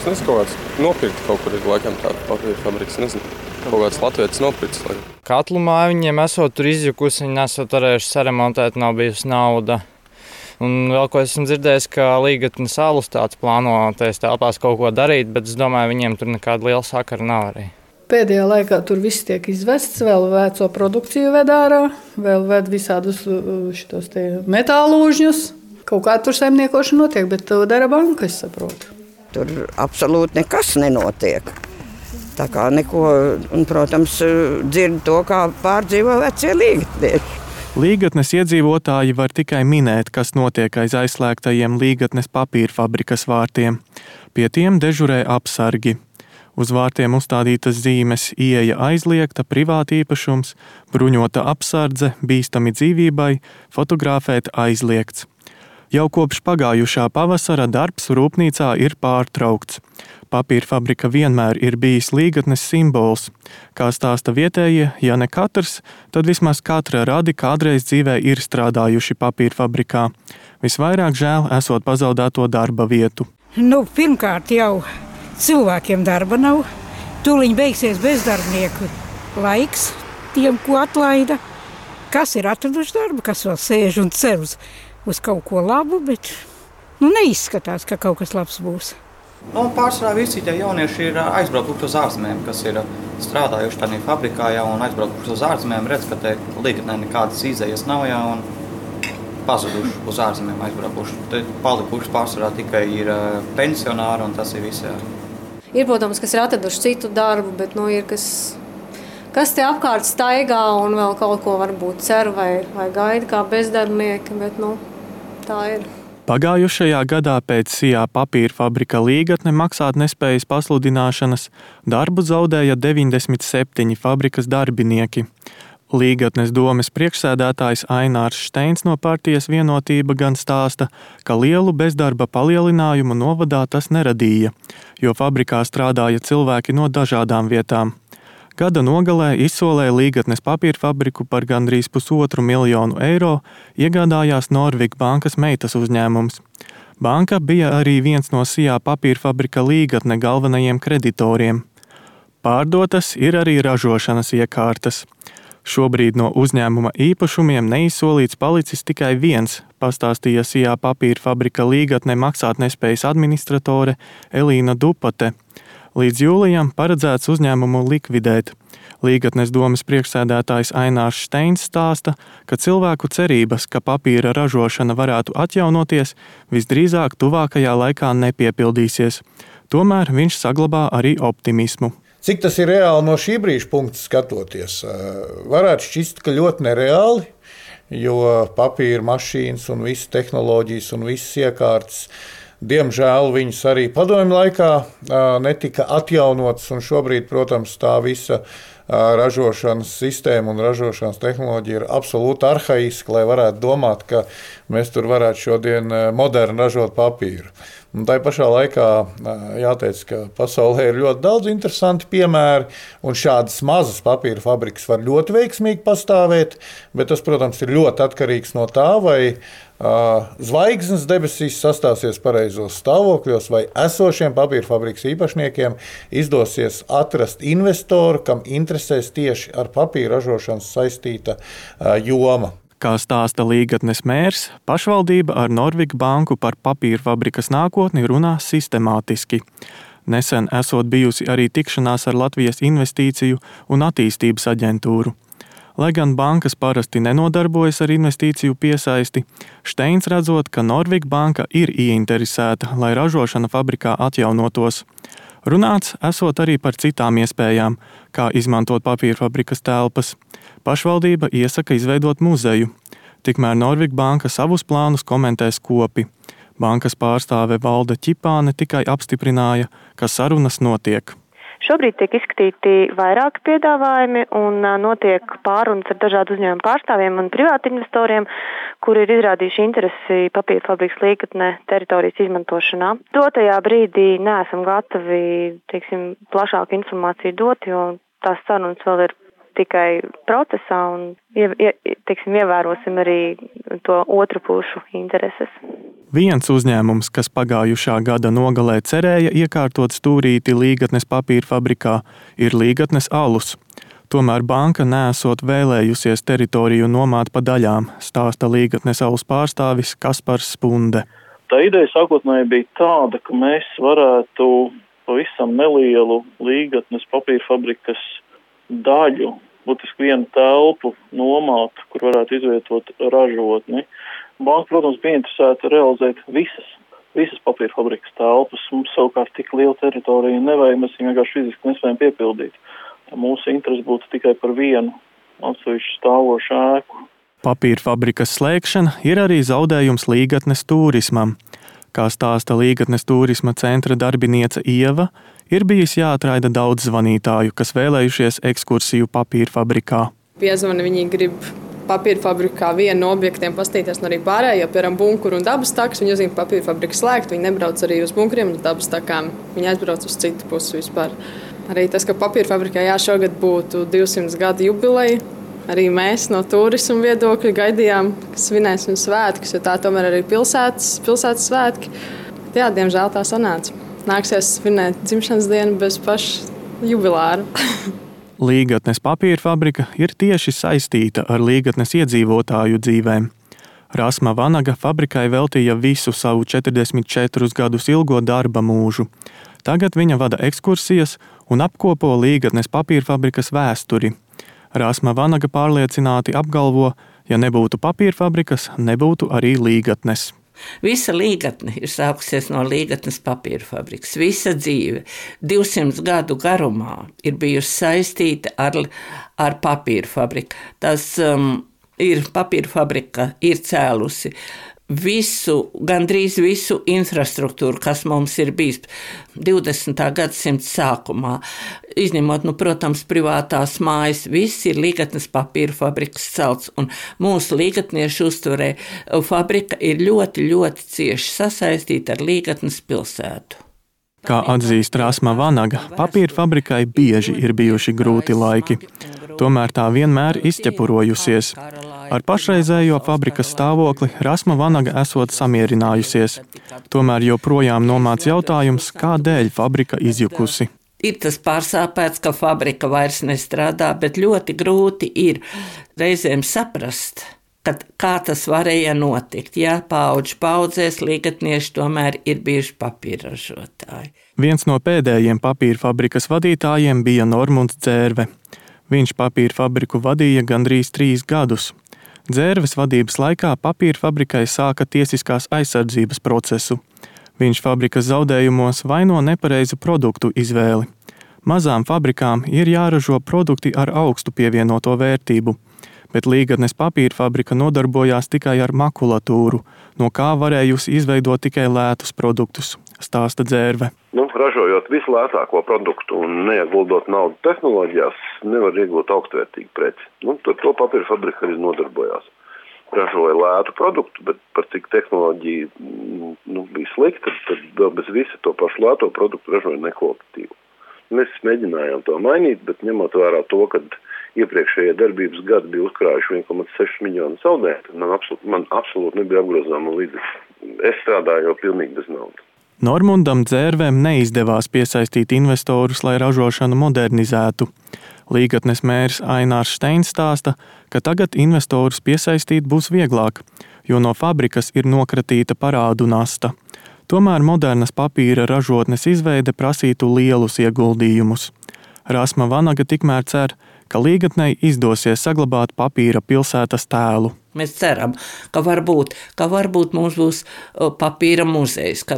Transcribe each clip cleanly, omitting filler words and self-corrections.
Es nezinu, kaut kāds nopirkt kaut kur ir laikam tāda papīra fabriks, nezinu. Kaut kāds latvietis nopircis. Katlu māju viņiem esot tur izjukusi, viņi nesot varējuši saremontēt, nav bijusi nauda. Un vēl ko esmu dzirdējis, ka Līgatnes alus tāds plāno tajās telpās kaut ko darīt, bet es domāju, viņiem tur nekāda liela sakara nav arī. Pēdējā laikā tur viss tiek izvests, vēl veco produkciju ved ārā, vēl ved visādus šitos te metālūžņus. Kaut kā tur saimniekošana notiek, bet to dara banka, es saprotu. Tur absolūti nekas nenotiek. Tā kā neko, un, protams, dzird to, kā pārdzīvo vecie līgatnieši. Līgatnes iedzīvotāji var tikai minēt, kas notiek aiz aizslēgtajiem Līgatnes papīra fabrikas vārtiem. Pie tiem dežurē apsargi. Uz vārtiem uzstādītas zīmes ieeja aizliegta, privātīpašums, bruņota apsardze, bīstami dzīvībai, fotografēt aizliegts. Jau kopš pagājušā pavasara darbs rūpnīcā ir pārtraukts. Papīra fabrika vienmēr ir bijis Līgatnes simbols. Kā stāsta vietējie, ja ne katrs, tad vismaz katra radi kādreiz dzīvē ir strādājuši papīra fabrikā. Visvairāk žēl esot pazaudēto darba vietu. Pirmkārt jau cilvēkiem darba nav. Tūliņ beigsies bezdarbnieku laiks tiem, ko atlaida. Kas ir atraduši darbu, kas vēl sēž un cer uz kaut ko labu, bet neizskatās, ka kaut kas labs būs. Pārsvarā visi tie jaunieši ir aizbraukuši uz ārzemēm, kas ir strādājuši tādā fabrikā jau un aizbraukuši uz ārzemēm. Redz, ka te Līgatnē nekādas izējas nav jau un pazuduši uz ārzemēm aizbraukuši. Te palikuši pārsvarā tikai ir pensionāri un tas ir viss. Jā. Ir, protams, kas ir atraduši citu darbu, bet ir kas te apkārt staigā un vēl kaut ko varbūt cer vai gaida kā bezdarbnieki, bet tā ir. Pagājušajā gadā pēc SIA papīra fabrika Līgatne maksātnespējas pasludināšanas darbu zaudēja 97 fabrikas darbinieki. Līgatnes domes priekšsēdētājs Ainārs Šteins no partijas Vienotība gan stāsta, ka lielu bezdarba palielinājumu novadā tas neradīja, jo fabrikā strādāja cilvēki no dažādām vietām. Gada nogalē izsolēja Līgatnes papīra fabriku par gandrīz 1,5 miljonu eiro, iegādājās Norvig bankas meitas uzņēmums. Banka bija arī viens no SIA papīra fabrika Līgatne galvenajiem kreditoriem. Pārdotas ir arī ražošanas iekārtas. Šobrīd no uzņēmuma īpašumiem neizsolīts palicis tikai viens, pastāstīja SIA papīra fabrika Līgatne maksātnespējas administratore Elīna Dupate. Līdz jūlijam paredzēts uzņēmumu likvidēt. Līgatnes domes priekšsēdētājs Ainārs Šteins stāsta, ka cilvēku cerības, ka papīra ražošana varētu atjaunoties, visdrīzāk tuvākajā laikā nepiepildīsies. Tomēr viņš saglabā arī optimismu. Cik tas ir reāli no šī brīža punkta skatoties? Varētu šķist, ka ļoti nereāli, jo papīra mašīnas un visas tehnoloģijas un visas iekārtas, diemžēl viņas arī padomju laikā netika atjaunotas, un šobrīd, protams, tā visa ražošanas sistēma un ražošanas tehnoloģija ir absolūti arhaiska, lai varētu domāt, ka mēs tur varētu šodien moderni ražot papīru. Un tai pašā laikā jāteic, ka pasaulē ir ļoti daudz interesanti piemēri, un šādas mazas papīra fabrikas var ļoti veiksmīgi pastāvēt, bet tas, protams, ir ļoti atkarīgs no tā, vai zvaigznes debesīs sastāsies pareizos stāvokļos, vai esošiem papīra fabrikas īpašniekiem izdosies atrast investoru, kam interesēs tieši ar papīra ražošanas saistīta joma. Kā stāsta Līgatnes mērs, pašvaldība ar Norvig banku par papīra fabrikas nākotni runā sistemātiski. Nesen esot bijusi arī tikšanās ar Latvijas investīciju un attīstības aģentūru. Lai gan bankas parasti nenodarbojas ar investīciju piesaisti, Šteins redzot, ka Norvig banka ir ieinteresēta, lai ražošana fabrikā atjaunotos. Runāts esot arī par citām iespējām, kā izmantot papīra fabrikas telpas. Pašvaldība iesaka izveidot muzeju. Tikmēr Norvig banka savus plānus komentē skopi. Bankas pārstāve Valde Ķipāne tikai apstiprināja, ka sarunas notiek. Šobrīd tiek izskatīti vairāki piedāvājumi un notiek pārunas ar dažādu uzņēmumu pārstāvjiem un privāti investoriem, kuri ir izrādījuši interesi papīra fabrikas Līgatnē teritorijas izmantošanā. Dotajā brīdī neesam gatavi, plašāku informāciju dot, jo tās sarunas vēl ir tikai procesā un ievērosim arī to otru pušu intereses. Viens uzņēmums, kas pagājušā gada nogalē cerēja iekārtot stūrīti Līgatnes papīra fabrikā, ir Līgatnes alus. Tomēr banka neesot vēlējusies teritoriju nomāt pa daļām, stāsta Līgatnes alus pārstāvis Kaspars Spunde. Tā ideja sākotnēji bija tāda, ka mēs varētu pavisam nelielu Līgatnes papīra fabrikas daļu, būtiski vienu telpu nomāt, kur varētu izvietot ražotni. Banka, protams, bija interesēta realizēt visas papīra fabrikas telpas. Mums savukārt tik liela teritorija nevajag, mēs vienkārši fiziski nespējam piepildīt. Mūsu interesi būtu tikai par vienu atsevišķu stāvošu ēku. Papīra fabrikas slēgšana ir arī zaudējums Līgatnes turismam. Kā stāsta Līgatnes turisma centra darbiniece Ieva, ir bijis jāatraida daudz zvanītāju, kas vēlējušies ekskursiju papīra fabrikā. Piezvani, viņi grib papīra fabrikā vienu no objektiem pastīties un arī pārējo, piemēram, bunkuru un dabas takas. Viņi uzzina, ka papīra fabrika slēgt, viņi nebrauc arī uz bunkuriem un dabas takām. Viņi aizbrauc uz citu pusi vispār. Arī tas, ka papīra fabrikā šogad būtu 200 gadu jubileja, arī mēs no turismu viedokļa gaidījām, ka svinēsim svētkus, jo tā tomēr arī pilsētas svētki. Jā, diemžēl tā sanāca. Nāksies svinēt dzimšanas dienu bez paša jubilāra. Līgatnes papīra fabrika ir tieši saistīta ar Līgatnes iedzīvotāju dzīvēm. Rasma Vanaga fabrikai veltīja visu savu 44 gadus ilgo darba mūžu. Tagad viņa vada ekskursijas un apkopo Līgatnes papīra fabrikas vēsturi. Rasma Vanaga pārliecināti apgalvo, ja nebūtu papīra fabrikas, nebūtu arī Līgatnes. Visa Līgatne ir sākusies no Līgatnes papīra fabrikas. Visa dzīve 200 gadu garumā ir bijusi saistīta ar papīra fabriku. Papīra fabrika ir cēlusi gandrīz visu infrastruktūru, kas mums ir bijis 20. gadsimta sākumā. Izņemot, protams, privātās mājas, viss ir Līgatnes papīra fabrikas celts, un mūsu līgatniešu uztverē fabrika ir ļoti, ļoti cieši sasaistīta ar Līgatnes pilsētu. Kā atzīst Rasma Vanaga, papīra fabrikai bieži ir bijuši grūti laiki. Tomēr tā vienmēr izķepurojusies. Ar pašreizējo fabrikas stāvokli Rasma Vanaga esot samierinājusies. Tomēr joprojām nomāc jautājums, kādēļ fabrika izjukusi. Ir tas pārsāpēts, ka fabrika vairs nestrādā, bet ļoti grūti ir reizēm saprast, kā tas varēja notikt. Jā, paudžu paudzēs līgatnieši tomēr ir bijuši papīra ražotāji. Viens no pēdējiem papīra fabrikas vadītājiem bija Normunds Dzērve. Viņš papīra fabriku vadīja gandrīz 3 gadus. Dzērves vadības laikā papīra fabrikai sāka tiesiskās aizsardzības procesu. Viņš fabrikas zaudējumos vaino nepareizu produktu izvēli. Mazām fabrikām ir jāražo produkti ar augstu pievienoto vērtību, bet Līgatnes papīra fabrika nodarbojās tikai ar makulatūru, no kā varējusi izveidot tikai lētus produktus, stāsta Dzērve. Ražojot vislētāko produktu un neieguldot naudu tehnoloģijās, nevar iegūt augstvērtīgu preci. To papīra fabrika arī nodarbojās. Ražoja lētu produktu, bet par cik tehnoloģija bija slikta, tad vēl bez visa to pašu lēto produktu ražoja nekvalitatīvu. Mēs mēģinājām to mainīt, bet ņemot vērā to, ka iepriekšējie darbības gadi bija uzkrājuši 1,6 miljonu zaudējumu, man absolūti nebija apgrozāma līdzekļi. Es strādāju jau pilnīgi bez naudas. Normundam Dzērvēm neizdevās piesaistīt investorus, lai ražošanu modernizētu. Līgatnes mērs Ainārs Steins stāsta, ka tagad investorus piesaistīt būs vieglāk, jo no fabrikas ir nokratīta parādu nasta. Tomēr modernas papīra ražotnes izveide prasītu lielus ieguldījumus. Rasma Vanaga tikmēr cer, ka Līgatnei izdosies saglabāt papīra pilsētas tēlu. Mēs ceram, ka varbūt mums būs papīra muzejs, ka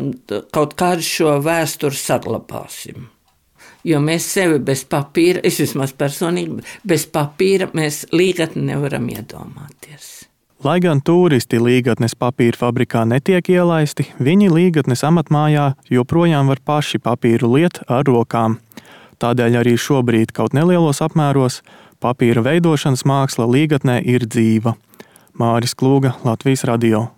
kaut kādu šo vēsturi saglabāsim. Jo mēs sevi bez papīra, es vismaz personīgi, bez papīra mēs Līgatni nevaram iedomāties. Lai gan turisti Līgatnes papīra fabrikā netiek ielaisti, viņi Līgatnes amatmājā joprojām var paši papīru liet ar rokām. Tādēļ arī šobrīd kaut nelielos apmēros papīra veidošanas māksla Līgatnē ir dzīva. Māris Klūga, Latvijas radio.